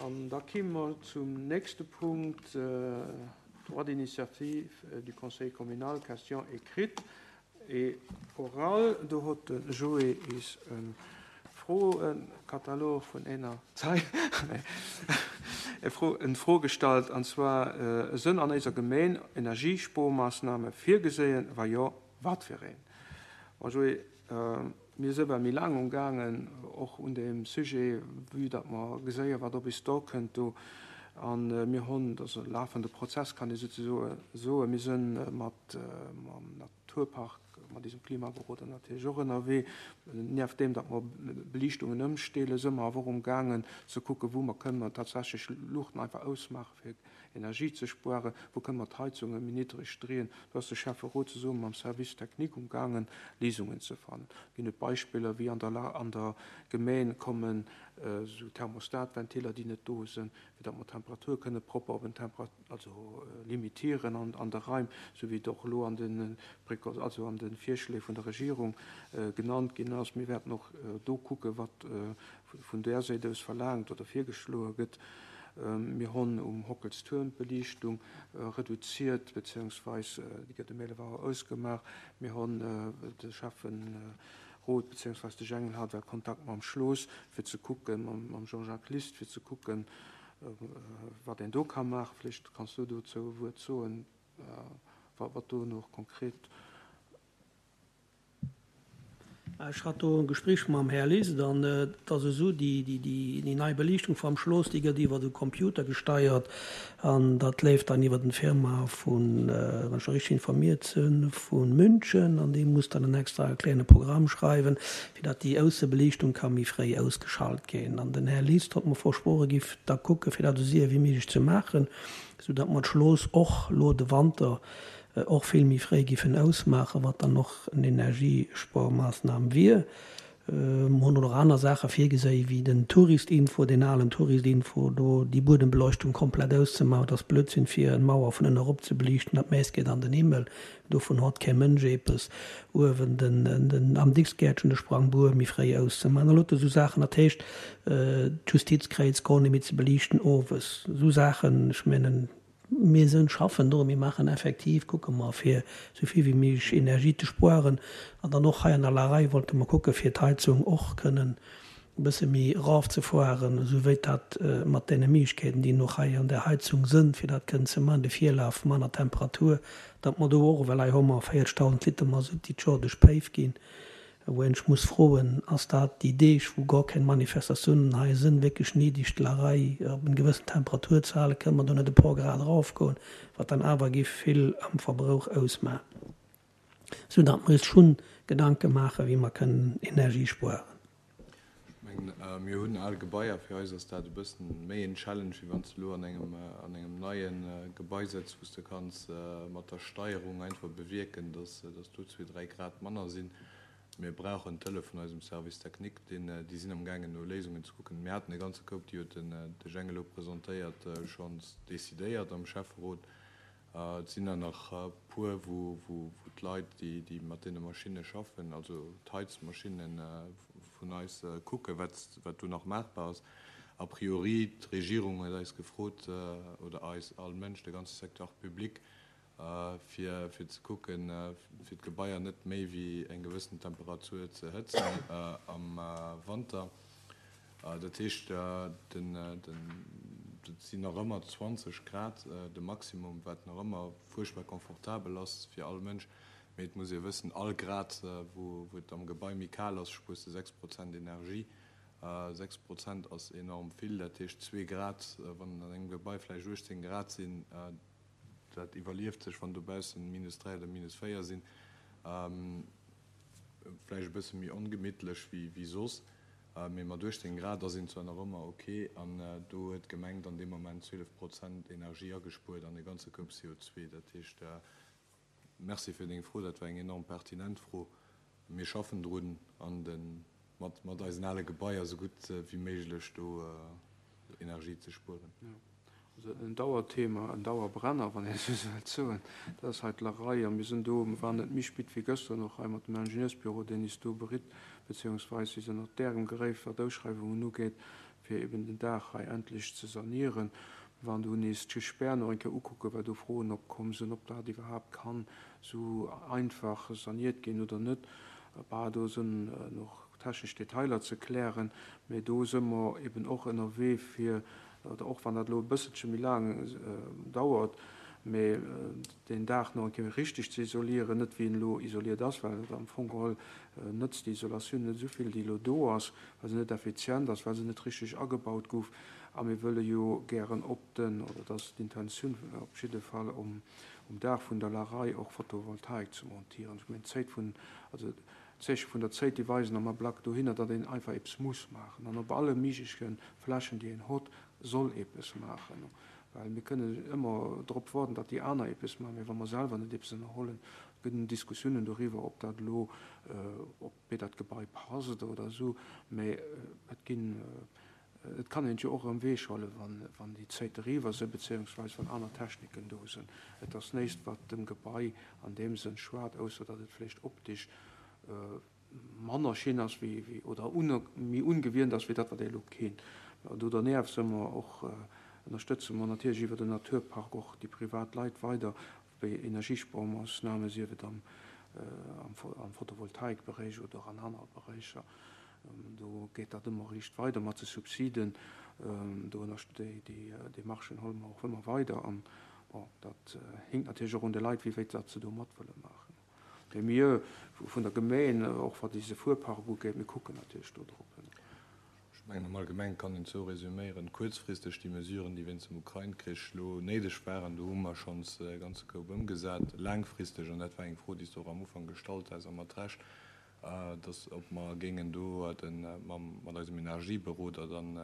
An da kime mer zum nächste Punkt, Droit d'initiative du Conseil communal, Questions écrites et orales. Do hott de Joé is e Froekatalog vun éner Zeil en Fro gestallt, an zwar, Sënn an éiser Gemeen Energiespuermaassname virgeséien? Wa jo, wat fir een? Bon, Joé, Mir si well méi laang umgaangen, och un deem Sujet, vue datt mer geséien, wat op is dorkënnt do. A mir hunn, dat ass e lafende Prozess, kann ee souzesoe soen, mir si mat mam Naturpark, mat eisem Klimaberoder natierlech och ënnerwee. Nieft deem, datt mer Beliichtungen ëmstellen, si mer awer och umgaangen ze kucken, wou mer kënnen tatsächlech Luuchten einfach ausmaachen, fir Energie ze spueren, wou kënne mer d'Heizunge méi niddreg drieen. Do ass de Schäfferot zesumme mam Service technique umgaangen, Léisungen ze fannen. Ginn et Beispiller, wéi an der an der Gemeen kommen esou Thermostatventiller, déi net do sinn, fir datt mer d'Temperatur kënne propper op en Tempera also limitieren an an de Raim, esou wéi et och elo an de Préco also an de Virschléi vun der Regierung genannt ginn ass. Mir wäerten och do kucken, wat vun där Séit aus verlaangt oder virgeschloe gëtt. Mir honn um Hockelstuerm d'Beliichtung reduziert, beziehungsweis déi gëtt um 11 Auer ausgemaach. Mir honn de Schäfferot beziehungsweis de Jengel hat well Kontakt mam Schloos fir ze kucken, mam Jean-Jacques List, fir ze kucken, wat een do ka maachen. Vläicht kanns du dozou e Wuert soen, wat do nach konkret. Ech hat do e Gespréich mam Här List an et ass esou, déi nei Beliichtung vam Schloss, déi gëtt iwwer e Computer gesteiert an dat leeft dann iwwer en Firma vun, wann ech richteg informiert sinn, vu München an dee muss dann en extra kléine Programm schreiwen, fir datt déi Aussebeliichtung ka méi fréi ausgeschalt ginn. An den Här List hott mer versprochen, giff da kucke fir dat esou séier wéi méiglech ze maachen, esou datt mer d'Schloss och lo de Wanter och vill méi fréi giffen ausmaachen, wat dann och en Energiespuermaassnam wier. Mer hunn och nach aner Saache virgeséi wéi den Touristinfo, deen alen Touristinfo do, déi Buedembeleuchtung komplett auszemaachen. Dat ass Blödsinn fir en Mauer vun ënne erop ze beliichten, dat Mäss geet an den Himmel, dovun hott kee Mënsch eepes. Uewen den, den am Dixgäertchen de Sprangbuer méi fréi auszemaachen. An lauter esou Saachen. Dat heescht d'Justizkräiz goer net méi ze beliichten owes. Esou Saachen, ech mengen, Mir sënn schaffen do, mir maachen effektiv, kucke mer fir esou vill wéi méiglech Energie ze spueren an dann och hei an der Larei wollte mer kucke fir d'Heizung och kënnen e bësse méi erafzefueren, esou wéi dat mat deene Méiglechkeeten déi och hei an där Heizung sënn, fir dat kënnen ze maachen, de Virlaf, manner Temperatur, datt mer do och, well hei hu mer 40.000 Liter Masutt déi d'Joer duerch d'Péif ginn, Wou een ech muss froen, ass dat déi Deeg wou gor keng Manifestatiounen hei sënn wierklech néideg d'Larei op en gewëssen Temperatur ze halen? Kënne mer do net e por Grad eraufgoen, wat dann awer giff vill am Verbrauch ausmachen, sou datt mer eis schonn Gedanke maachen wéi mer kënnen Energie spueren. Ech mengen, mir hunn al Gebaier. Fir eis ass dat e bëssen méi en Challenge, wéi wann s de elo an engem, an engem neie Gebai sëtz, wou s de kanns mat der Steierung einfach bewierken, dass, dass do zwee, dräi Grad manner sinn. Mir brauchen d'Hëllef vun eisem Service technique, deen, déi sinn amgaangen no Léisungen ze kucken. Mir haten e ganze Koup, déi huet den, de Jhang elo presentéiert, schonns decidéiert am Schäfferot. Et sinn der nach e puer, wou d'Leit, déi mat deene Maschinne schaffen, also d'Heizmaschinne vun eis, kucken, wat do nach maachbar ass. A priori, d'Regierung huet eis gefrot, oder eis, all Mënsch, de ganze Secteur public, fir ze kucken, fir d'Gebaier net méi wéi eng gewëssen Temperatur ze hëtzen am Wanter. Dat heescht, dat sinn nach ëmmer 20 Grad de Maximum, wat nach ëmmer fuerchtbar confortabel ass fir all Mënsch. Mee et muss ee wëssen, all Grad, wou et am Gebai méi kal ass, spuers de 6 Prozent Energie. 6 Prozent ass enorm vill. Dat heescht, zwee Grad, wann an engem Gebai vläicht 18 Grad sinn, dat iwwerlieft sech, wann dobaussen minus 3 oder minus 4 sinn, vläicht e bësse méi ongemittlech wéi soss. Mee mat 18 Grad ass een zwar nach ëmmer ok, an do huet d'Gemeng dann dee Moment 12 Prozent Energie agespuert an e ganze Koup CO2. Dat heescht, Merci fir deng Fro, dat war eng enorm pertinent Fro. Mir schaffen drun an de mat eisen ale Gebaier esou gutt wéi méiglech do Energie ze spueren. Also en Dauerthema, en Dauerbrenner, wann een esou wëllt soen, dat ass hei d'Lerei. A mir sinn do, mir waren net méi spit wéi gëschter nach hei mat dem Ingenieursbüro, deen is do beritt, beziehungsweis si sinn ënnert därem Geréif, wat Ausschreiwungen ugeet, Fir eben den Daach hei endlech ze sanieren. Mir waren do nees d'Gespär nach eng Kéier ukucken, well do Froen opkomm sinn, ob dat iwwerhaapt kann esou einfach saniert ginn oder net. Bah, do sinn nach technesch Detailer ze klären, mä do si mer eben och ënnerwee fir, oder och wann dat elo e bësselche méi laang dauert, mä deen Daach nach eng Kéier richteg ze isolieren, net wéi en elo isoliert ass, well et am Fong geholl nëtzt déi Isolatioun net esou vill, déi elo do ass, well se net effizient ass, well se net richteg agebaut gouf. A mir wëlle jo gären op den, oder dat ass d'Intentioun op jidde Fall, um Daach vun der Larei och Photovoltaik ze montieren. Ech mengen, d'Zéit vun, also d'Zeeche vun der Zéit, déi weisen am Ablack dohinner, datt een einfach eppes muss maachen. An op alle méigleche Flächen, déi een hott, soll eppes maachen. Well mir kënnen ëmmer drop waarden, datt déi aner eppes maachen, mä wa mer selwer net eppes ënnerhollen, gëtt en Diskussiounen doriwwer, ob dat elo, ob wéi dat Gebai passt oder esou, mä et ginn, et kann een et jo och erëm weechhuelen, wann, wann déi Zéit eriwwer sinn, beziéungsweis wann aner Techniken do sinn. Et ass näischt, wat dem Gebai an deem Sënn schued, ausser datt et vläicht optisch manner schin ass wéi, wéi, oder méi ungewiernt ass wéi dat, wat ee elo kennt. Do dernieft si mer och, ënnerstëtze mer natierlech iwwer den Naturpark och déi privat Leit weider Wéi Energiespuermoossname, sief et am Photovoltaikberéich oder an anere Beréicher, do geet dat ëmmer riicht weider mat de Subsiden. Do déi Demarchen huele mer och ëmmer weider. An bon, dat hinkt natierlech och un de Leit, wéi wéit datt se do mat wëlle maachen. Mee mir vun der Gemeen, och wat eise Fuerpark ugeet, mir kucken natierlech do drop. Ech mengen, am Allgemenge kann een et esou resüméieren, Kuerzfristeg déi Mesuren, déi wéinst dem Ukrain-Krich elo néideg waren, do hu mer schonns e ganze Koup ëmgesat. Laangfristeg, an dat war eng Fro, déi s de och am Ufank gestallt has, a mat Recht, dass ob mer géingen do mat eisem Energieberoder dann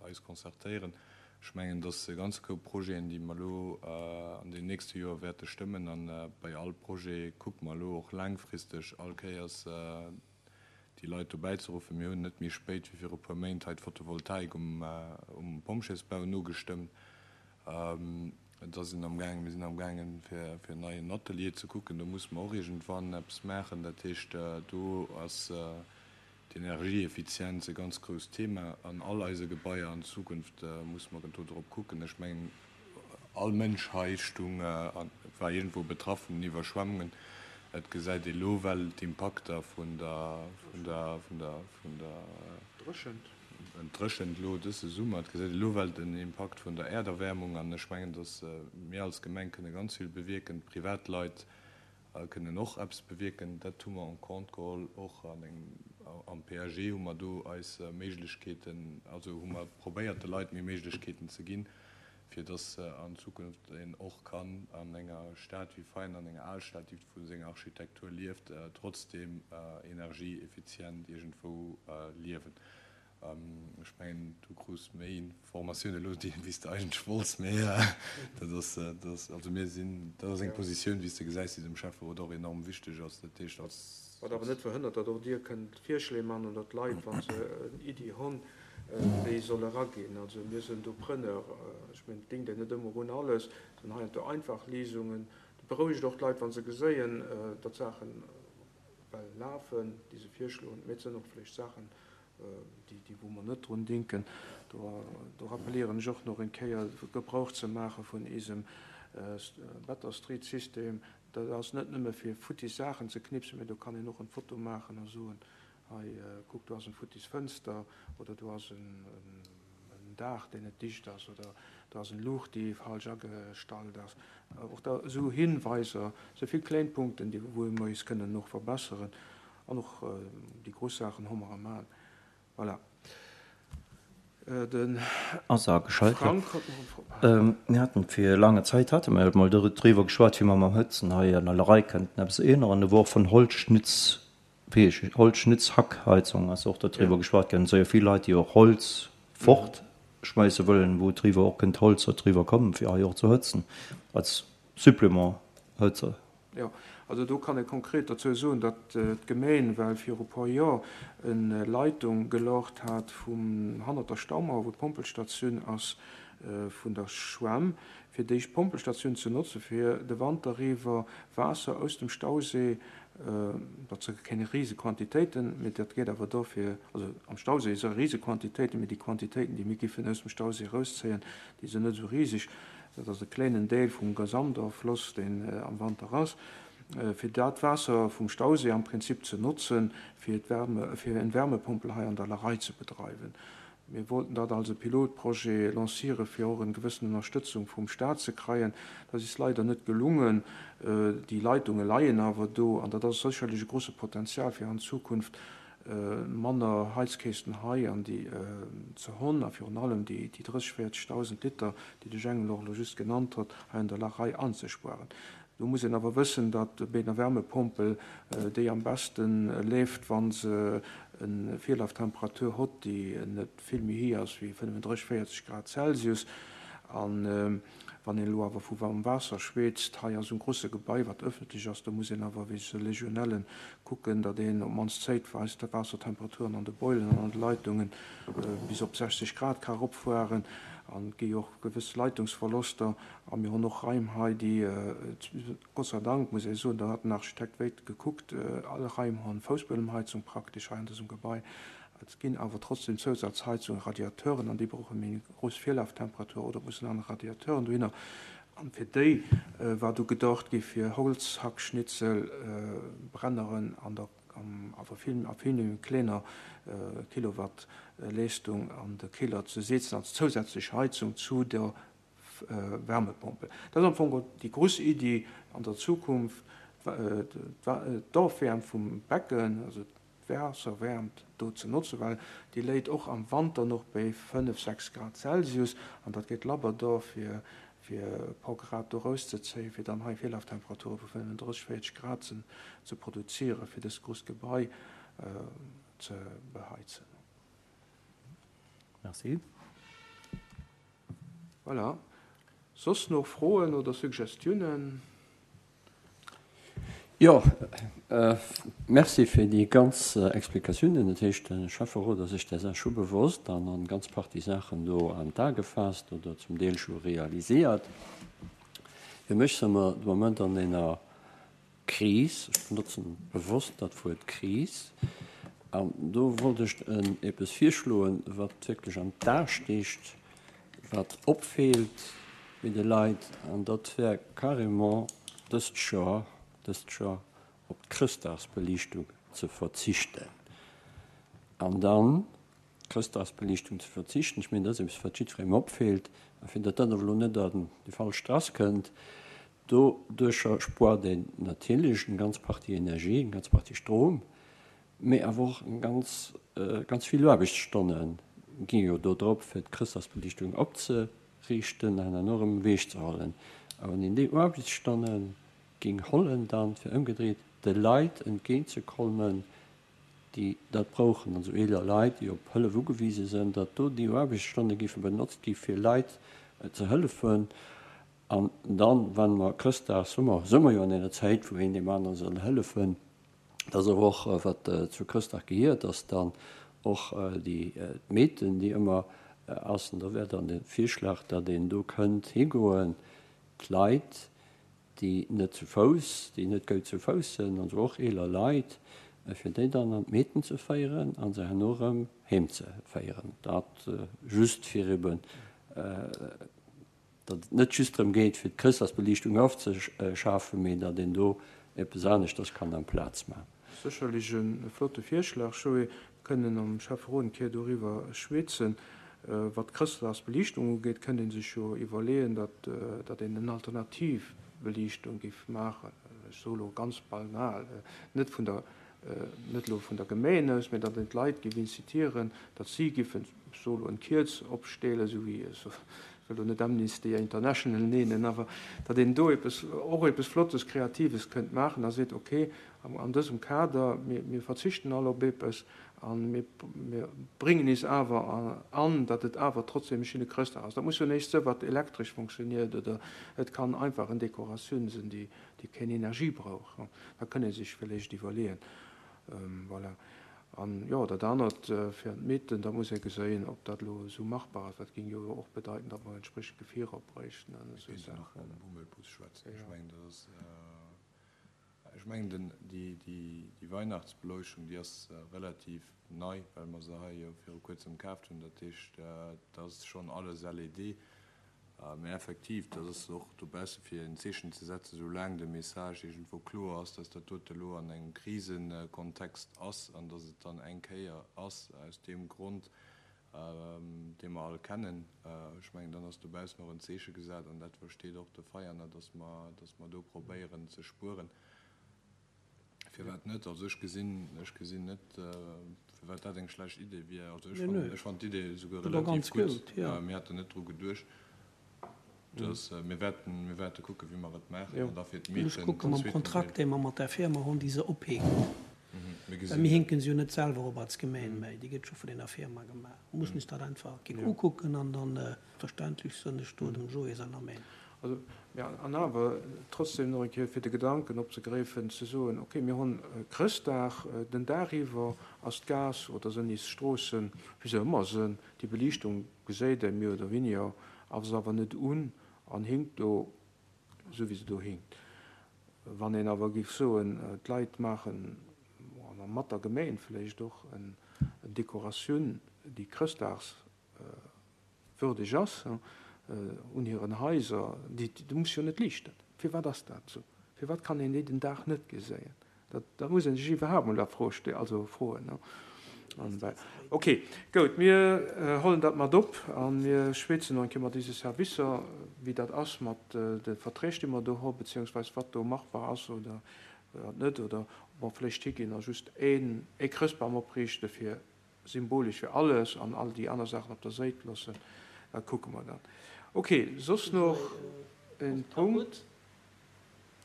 eis concertéieren. Ech mengen, dass e ganze Koup Projeten, déi mer elo an den nächste Joer wäerte stëmmen, a bei all Projet kucke mer elo och laangfristeg all Kéiers, déi Leit dobäi ze ruffen. Mir hunn net méi spéit wéi viru puer Méint hei d'Photovoltaik um Pompjeesbau nogestëmmt. Da sinn amgaangen, mir sinn amgaangen, fir en neien Atelier ze kucken. Do musse mer och iergendwann eppes maachen. Dat heescht, do ass d'Energieeffizienz e ganz grousst Thema an all eise Gebaier. An Zukunft musse mer do drop kucken. Ech mengen, All Mënsch hei stung a war iergendwou betraff vun den Iwwerschwemmungen. Et gesäit ee lo well d'Impakter vun der, vun der, vun der, vun der. Dréchent. Dréchent lo dëse Summer. Et gesäit ee lo well den Impakt vun der Äerderwäermung. An ech mengen, datt mir als Gemeng kënne ganz vill bewierken, d'Privatleit kënnen och eppes bewierken. Dat hu mer en compte geholl, och an engem, am PAG hu mer do eis Méiglechkeeten, also hu mer probéiert de Leit méi Méiglechkeeten ze ginn, fir dass an Zukunft een och kann an enger Stad wéi Veien, an enger Alstad, déi vu senger Architektur lieft, trotzdeem energieeffizient iergendwou liewen. Ech mengen, du krus méi Informatioune elo, wéi s de eigentlech wollts, mä dat ass, dat ass, also mir sinn, dat ass eng Positioun, wéi s de gesäis, déi dem Schäfferot och enorm wichteg ass. Dat heescht, als. Wat awer net verhënnert, datt och Dir kënnt Virschléi man oder d'Leit, wa se en Iddi hunn, déi soll eraginn. Also mir sinn do Preneur. Ech mengen, et dingt een net ëmmer un alles. Et sinn heiansdo einfach Léisungen. Dat berouegt och d'Leit, wa se geséien, datt Saachen well lafen, déi se virschloen. Mee et sinn och vläicht Saachen, déi wou mer net drun dinken. Do do rappelieren ech och nach eng Kéier, Gebrauch ze maache vun eisem Better Street System. Dat ass net nëmme fir futtis Saachen ze knipsen, mee do kann een och en Foto maachen a soen, Hei, kuck, do ass en futtis Fënster, oder do ass en Daach, deen net dicht ass, oder do ass en Luucht, déi falsch agestallt ass. Och da esou Hinweiser, esou vill kléin Punkten, déi wou mer eis kënnen och verbesseren. An och déi grouss Saachen hu mer am An. Voilà. De Ass ageschalt, jo. Frank huet nach eng Fro. Mir haten fir laange Zäit hate mer jo mol driwwer geschwat, wéi mer mam Hëtzen hei an der Lerei kënnten eppes änneren. Do wor och vun Holzschnitz Wéi Holzschnitz-Hackheizung ass och dodriwwer geschwat ginn. Et si jo vill Leit, déi och Holz fort schmeisse wëllen, wou driwwer och kënnt Holz dodriwwer kommen, fir hei och ze hëtzen als Supplément Hëtzer. Jo, also do kann ee konkret dozou soen, datt d'Gemeen well viru puer Joer en Leitung geloocht hat vum hannert der Staumauer, wou d'Pompelstatioun ass vun der Schwämm, fir déi Pompelstatioun ze notze fir de Wanter iwwer Waasser aus dem Stausee. Dat si keng Risequantitéiten, mee dat geet awer do fir, also am Stauséi si Risequantitéiten, mee déi Quantitéiten, déi mir giffen aus dem Stauséi erauszéien, déi sinn net esou riseg. Dat ass e kléinen Deel vum Gesamtoffloss, deen am Wanter ass. Fir dat Waasser vum Stauséi am Prinzip ze notzen, fir d'Wärme, fir eng Wärmepompel hei an der Larei ze bedreiwen. Mir wollten dat als e Pilotprojet lanciere fir och en gewëssen Ënnerstëtzung vum Staat ze kreien. Dat is leider net gelungen. Déi Leitunge leien awer do an dat ass sécherlech e grosse Potenzial fir an Zukunft manner Heizkästen hei an déi ze honn a virun allem déi 30, 40.000 Liter, déi de Jengel och elo just genannt hott, hei an der Larei anzespuaren. Do muss een awer wëssen, datt bei einer Wärmepompel déi am beste leeft, wa se e Virlaftemperatur hott, déi net vill méi héi ass wéi 35, 40 Grad Celsius. A wann een elo awer vu waarmem Waasser schweetzt, hei ass um grosse Gebai, wat ëffentlech ass, do muss een awer wéinst de Legionellen kucken, datt een op d'mannst zäitweis d'Waassertemperaturen an de Boileren an an de Leitunge bis op 60 Grad ka eropfueren. An et gi jo och gewëss Leitungsverloster. A mir hunn och Raim hei, déi, Gott sei Dank, muss ee soen, do hat den Architekt wéit gekuckt, all Raim hunn Foussbuedemheizung praktesch hei an dësem Gebai. Et ginn awer trotzdem Zousazheizungen, Radiateuren, an déi brauche méi grouss Virlaftemperatur oder et mussen aner Radiateuren dohinner. An fir déi war du gedacht gi fir Holzhackschnitzel, Brenneren an der, awer vill, a vill méi klenger Kilowattleestung an de Killer ze setzen als zousätzlech Heizung zu der Wärmepompel. Dat ass am Fong déi grouss Iddi an der Zukunft, d'Ofwäermt vum Becken, also d'Waasserwäermt do ze notzen, well déi léit och am Wanter nach béi 5, 6 Grad Celsius an dat geet labber do fir e puer Grad do erauszezéien, fir dann hei Virlaftemperature vu 35, 40 Grad ze produzieren, fir dëst grousst Gebai ze beheizen. Merci. Voilà. Soss nach Froen oder Suggestiounen? Jo, merci fir déi ganz Explikatiounen. Dat heescht, de Schäfferot ass sech där Saach scho bewosst an eng ganz Partie Saachen do an d'A gefaasst oder zum Deel scho realiséiert. Fir mech si mer de Moment an enger Kris, ech benotzen bewosst dat Wuert Kris, an do wollt ech eppes virschloen, wat wierklech an d'A sticht, wat opfeelt bei de Leit, an dat wär carrément dëst Joer, dëst Joer op d'Chrëschtdagsbeliichtung ze verzichten an dann Chrëschtdagsbeliichtung ze verzichten. Ech mengen, dat ass eppes, wat jiddwerengem opfeelt. A fir datt dat awer elo net an déi falsch Strass kënnt, doduercher spuert een natierlech eng ganz Partie Energie, eng ganz Partie Strom, mee awer och eng ganz, ganz vill Aarbechtsstonne gi jo do drop, fir d'Chrëschtdagsbeliichtung opzeriichten an herno erëm ewechzehollen. A wann een déi Aarbechtsstonne géing hollen dann, fir ëmgedréit de Leit entgéintzekommen, déi dat brauchen, also eeler Leit, déi op Hëllef ugewise sinn, datt do déi Aarbechtsstonne géife benotzt gi fir Leit ze hëllefen. An dann, wa mer Chrëschtdag, Summer, si mer jo an enger Zäit, wou een deem anere soll hëllefen, dat ass awer och wat zu Chrëschtdag gehiert, datt dann och déi d'Meeten, déi ëmmer ass, an da wär dann de Virschlag, datt een do kënnt higoen, d'Leit, déi net zu Fouss, déi net goud zu Fouss sënn, also och eeler Leit, fir déi dann an d'Meeten ze féieren a se herno erëm heem ze féieren. Dat just fir eben, datt et net just drëm geet, fir d'Chrëschtdagsbeliichtung ofzeschafen, mee datt een do eppes aneschters kann amplaz maachen. Sécherlech e flotte Virschlag, Joé. Kënnen am Schäfferot eng Kéier doriwwer schwätzen. Wat d'Chrëschtdagsbeliichtung ugeet, kënnt ee sech jo iwwerleeën, datt datt een en alternativ Beliichtung géif maachen. Ech soe lo ganz banal, net vun der, net elo vun der Gemeen aus, mä datt een d'Leit géif incitieren, datt si giffen, ech soe lo, en Kierz opstellen, esou wéi, ech wëll lo net Amnesty International neenen, awer datt een do eppes, och eppes Flottes, Kreatives kënnt maachen a seet, okay, An dësem Kader, mir verzichten all op eppes a mir bréngen is awer an, datt et awer trotzdem e schéine Chrëschtdag ass. Dat muss jo näischt sinn, wat elektresch funktioniert, oder et kann einfach en Dekoratioun sinn, déi keng Energie brauch. Dat kënn ee sech villäicht iwwerleeën. Voilà. An, jo, dat anert fir an d'Meeten, da muss ee geséien, ob dat elo esou machbar ass. Dat géing jo och bedeiten, datt mer entspriechend Gefierer bréichten an esou Saachen. Mir kéinten och mam Bummelbus schwätzen. Ech mengen, dat ass. Ech mengen den, déi, déi, déi Weihnachtsbeleuchtung, déi ass relativ nei, well mer se hei jo viru kuerzem kaaft hunn. Dat heescht, dat ass schonn alles LED. Mä effektiv, dat ass och dobausse fir en Zeechen ze setzen, soulaang de Message iergendwou kloer ass, dass dat dote elo an engem Krisekontext ass an dass et dann eng Kéier ass aus deem Grond, dee mer all kennen. Ech mengen, dann ass dobaussen och en Zeeche gesat an dat versteet och de Veianer, dass mer, dass mer do probéieren ze spueren. Firwat net? Also ech gesinn, ech gesinn net, firwat dat eng schlecht Idee wier. Also ech fannen, ech fannen d'Idee esouguer relativ gutt. Mir haten net dru geduecht. Dass, mir wäerten, mir wäerte kucken, wéi mer et maachen an da fir d'Meeten. Ech kucke mam Kontrakt, dee mer mat där Firma hunn, déi se ophänkt. Well mir hinken se jo net selwer op als Gemeen, mä déi gëtt scho vun enger Firma gemaach. Mir mussen eis dat einfach eng Kéier ukucken an dann, verständlech sënn ech do dem Joé senger Meenung. Also, mä an awer trotzdem nach eng Kéier fir de Gedanken opzegräifen, ze soen, okay, mir hunn Chrëschtdag, den Dag iwwer ass d'Gaass oder sënn is Stroossen, wéi se ëmmer sënn, déi Beliichtung geséit ee méi oder weniger, ass awer net un an hinkt do esou wéi se do hinkt. Wann een awer géif soen, d'Leit maachen, a mat der Gemeen vläicht och, en Dekoratioun, déi chrëschtdagswürdeg ass, un hiren Haiser, déi muss jo net liichten. Firwat ass dat esou? Firwat kann een déi den Dag net geséien? Dat muss ee sech iwwerhaapt mol a Fro ste-, also froen. Ok, goud, mir hollen dat mat op a mir schwätzen nach eng Kéier mat eise Servicer, wéi dat ass mat de Verträg, déi mer do hu beziehungsweis wat do machbar ass oder wat net, oder ob mer vläicht higinn a just een, ee Chrëstbam opriichte fir symbolesch fir alles an all déi aner Saachen op der Séit loossen. Dat kucke mer dann. Ok, soss nach e Punkt?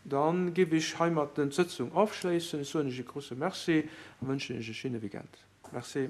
Dann giff ech heimatten d'Sëtzung ofschléissen. Ech soen Iech e grouse Merci a wënschen Iech e schéine Weekend. Merci.